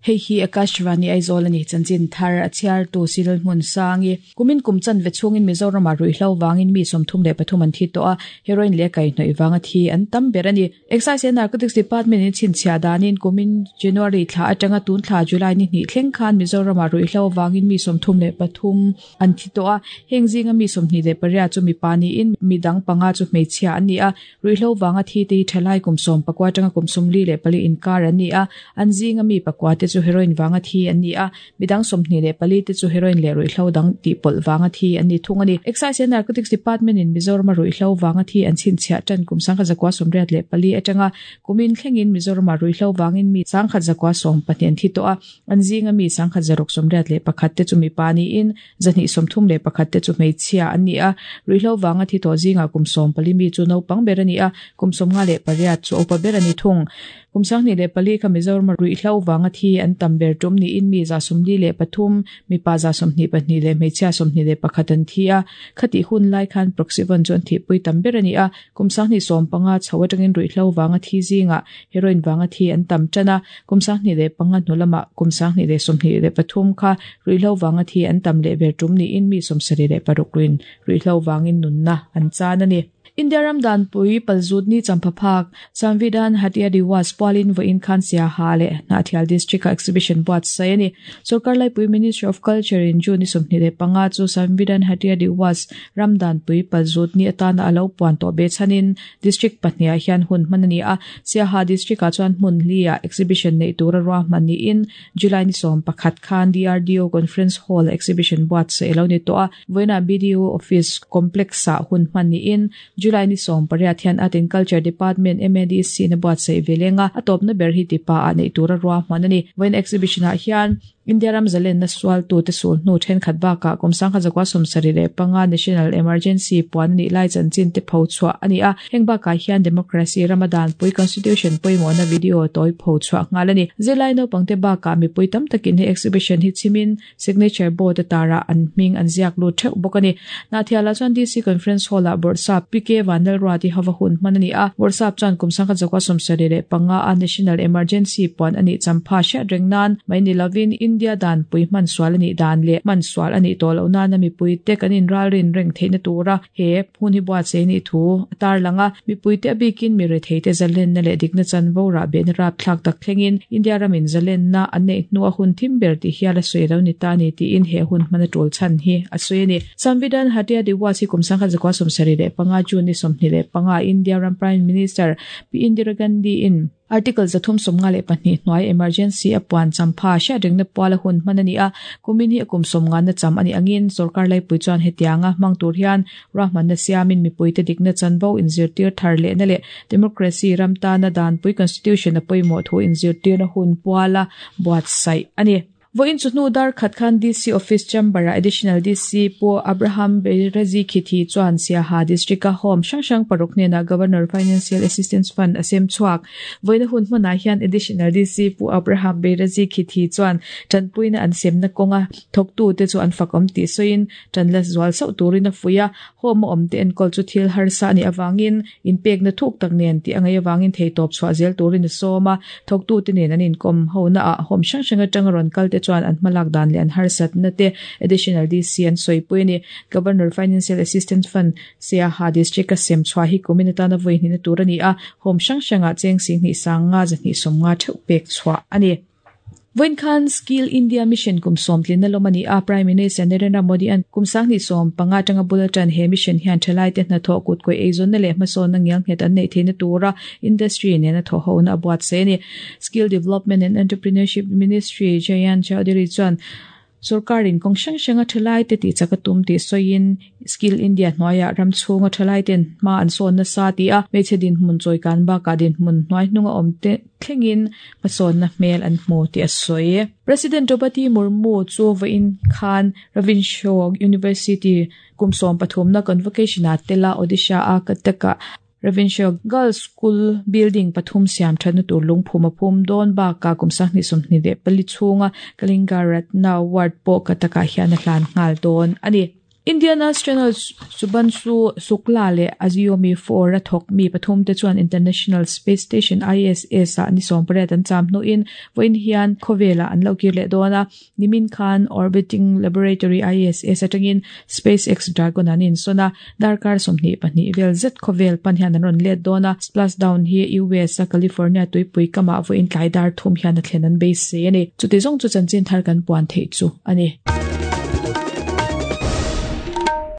Hei hi Akashvani Aizawl a ni, chanchin thar a chhiartu Cyril Hmunsangi. Kumin kum chanve chhungin Mizoramah ruihhlo vangin mi 33 an thi tawh a, heroin leh kaihhnawih vanga thi an tam ber a ni. Excise and Narcotics Department in chhinchhiah danin kumin January thla atanga tun thla July ni hnih thleng khan Mizoramah ruihhlo vangin mi 33 an thi tawh a, heng zinga mi 28 chu mipa niin mi dang panga chu hmeichhia an ni a. Ruihhlo vanga thi te hi thalai kum 19 atanga kum 44 inkar an ni a, an zinga mi pakua te chu heroin vanga thi an ni a, midang 24 te chu heroin leh ruihhlo dang tihpawlh vanga thi an ni thung a ni. Excise and Narcotics Department in Mizorama ruihhlo vanga thi an chhinchhiah tan kum 1984 atanga kumin thlengin Mizorama ruihhlo vangin mi 1112 an thi tawh a, an zinga mi 1681 te chu mipa niin 231 te chu hmeichhia an ni a, ruihhlo vanga thi tawh zingah kum 14 mi chu naupang ber a ni a, kum 58 chu upa ber a ni thung. Kum 2004 kha Mizorama ruihhlo vanga thi an tam ber tum niin mi 73, mipa 22 leh hmeichhia 21 an thi a, khatih hun lai khan Proxyvon chu an thihpui tam ber a ni a, kum 2015 chho atangin ruihhlo vanga thi zingah heroin vanga thi an tam tan a, kum 2005 hnu lamah kum 2023 kha ruihhlo vanga thi an tam leh ber tum niin mi 76 ruin ruihhlo vangin nunna an chan a ni. India ram danpui palzut ni champhaphak Samvidhan Hatya Diwas pualin vawiin khan Siaha leh Hnahthial District ah exhibition buatsaih a ni. Sorkar laipui Ministry of Culture in June ni 25 chu Samvidhan Hatya Diwas ram danpui palzut ni atana a lo puan tawh behchhanin District pahnih ah hian hun hman a ni a. Siaha District ah chuan hmun hli ah exhibition neih tura ruahman niin July ni 11 khan DRDO Conference Hall ah exhibition buatsaih a lo ni tawh a. Vawiinah BDO Office Complex ah hun hman niin July ni 18 hian Art and Culture Department MADC in a buatsaih ve leng a, a tawpna ber hi tipa ah neih tura ruahman a ni. Vawiin exhibition ah hian India ram zalenna sualtute sulhnu thenkhat bakah kum 1975 National Emergency puan a nih lai chanchin te pho chhuah a ni a, heng bakah hian Democracy rama danpui Constitution pawimawhna video tawi pho chhuah nghal a ni. Zirlai naupangte bakah mipui tam takin he exhibition hi chhimin Signature board a tarah an hming an ziak lut theuh bawk a ni. Hnahthialah chuan DC Conference Hall-ah Bawrhsap PK Vanlalruati hova hun hman a ni a, Bawrhsap chuan kum 1975 a National Emergency puan a nih champha hriat reng nan mai ni lovin India danpui hman sual a nih dan leh hman sual a nih tawh loh nana mipuite kan inralrin reng theihna tura he hun hi buatsaih a nih thu a tarlang a. Mipuite a bikin mi retheite zalenna leh dikna chanvo rahbehna rapthlak tak thlengin India ramin zalenna an neih hnu a hun thim ber tih hial a sawi lo ni ta a ni tiin he hun hman a tul chhan hi a sawi a ni. Samvidhan Hatya Diwas hi kum 1975 June ni 25 India ram Prime Minister Pi Indira Gandhi in Article 352 hnuai emergency a puan champha hriatrengna puala hun hman a ni a, kumin hi a kum sawmngana cham a nih angin sorkar laipui chuan hetianga hmang tur hian ruahmanna siamin mipuite dikna chanvo inzirtir thar lehna leh democracy ram tana danpui constitution a pawimawh thu inzirtirna hun puala buatsaih a ni. Vawiin chu hnu dar khat khan DC Office Chamber-ah Additional DC Pu Abraham Beirazi Khithi chuan Siaha District-a Home hrang hrang paruk hnenah Governor Financial Assistance Fund a sem chhuak. Vawiina hun hmanah hian Additional DC Pu Abraham Beirazi Khithi chuan tanpuina an semna kawnga thawktute chu an fakawm tih sawiin tan la zual sauh turin a fuih a. Home a awmte enkawl chu thil harsa a nih avangin inpekna thuk tak nen tih a ngaih avangin theitawp chhuah zel turin a sawm a, thawktute nen an inkawm hona ah home hrang hrang atanga rawn kal te chuan an hmalak dan leh an harsatna te Additional DC an sawipui a ni. Governor Financial Assistance Fund Siaha District a sem chhuah hi kumin atana vawi hnihna tur a ni a, home hrang hrangah cheng sing hnih sang nga zahnih sawmnga theuh pek chhuah a ni. Vawiin khan Skill India Mission kum sawmtlinna lawm a ni a, Prime Minister Narendra Modi-a'n kum 2015 atanga bul atan he mission hian thalaite hnathawh kutkawih eizawnna leh hmasawnna ngialnghet an neih theihna tura industry nena thawhhona a buatsaih a ni. Skill Development and Entrepreneurship Ministry Jayant Chaudhary chuan Sorkarin kawng hrang hranga thalaite tihchak a tum tih sawiin Skill India hnuaiah ram chhunga thalaiten hma an sawn nasa tih a, hmeichhe dinhmun chawikan bakah dinhmun hnuai hnunga awm te thlengin hmasawnna hmel an hmu tih a sawi. President Draupadi Murmu chu vawiin khan Ravenshaw University kum 13na convocation-ah tela Odisha-a Cuttack-ah Ravenshaw Girls School building pathum siam thatna tur lungphum a phum dawn bakah kum 2024 chhunga Kalinga Ratna Award pawh Cuttack-ah hian a hlan nghal dawn a ni. Indian astronaut Shubhanshu Shukla leh a Xiaomi 4 a thawk mi pathumte chuan International Space Station, ISS, ah ni 18 an cham hnuin vawiin hian khawvelah an lo kir leh dawn a. Nimin khan Orbiting Laboratory ISS atangin SpaceX Dragon an insawn a, darkar 22 vel zet khawvel pan hian an rawn let dawn a. Splashdown hi US a California tuipui kamah vawiin tlai dar thum hian a thlen an beisei a ni. Chuti zawng chu chanchin thar kan puan theih chu a ni.